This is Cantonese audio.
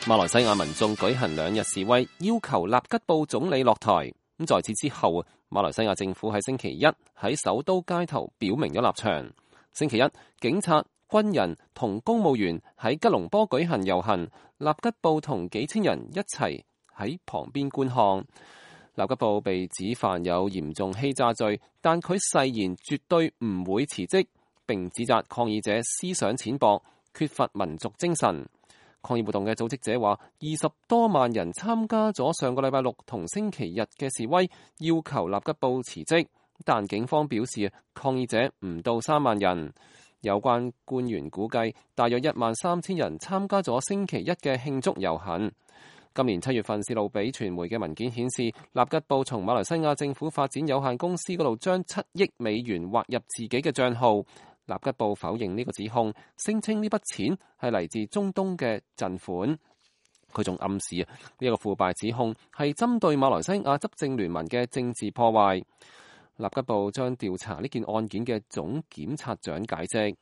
馬來西亞民眾舉行2日示威，要求納吉布總理落台。在此之後，馬來西亞政府喺星期一喺首都街頭表明咗立場。星期一，警察、軍人同公務員喺吉隆坡舉行遊行，納吉布同幾千人一齊喺旁邊觀看。納吉布被指犯有嚴重欺詐罪，但佢誓言絕對唔會辭職，並指責抗議者思想淺薄，缺乏民族精神。抗議活動嘅組織者話，20多萬人參加咗上個禮拜六同星期日嘅示威，要求納吉布辭職，但警方表示抗議者唔到3萬人。有關官員估計，大約13000人參加咗星期一嘅慶祝遊行。今年7月份泄露俾傳媒嘅文件顯示，納吉布從馬來西亞政府發展有限公司嗰度將7億美元劃入自己嘅帳號。納吉布否認呢個指控，聲稱呢筆錢係嚟自中東嘅贈款。佢仲暗示呢個腐敗指控係針對馬來西亞執政聯盟嘅政治破壞。納吉布將調查呢件案件嘅總檢察長解釋。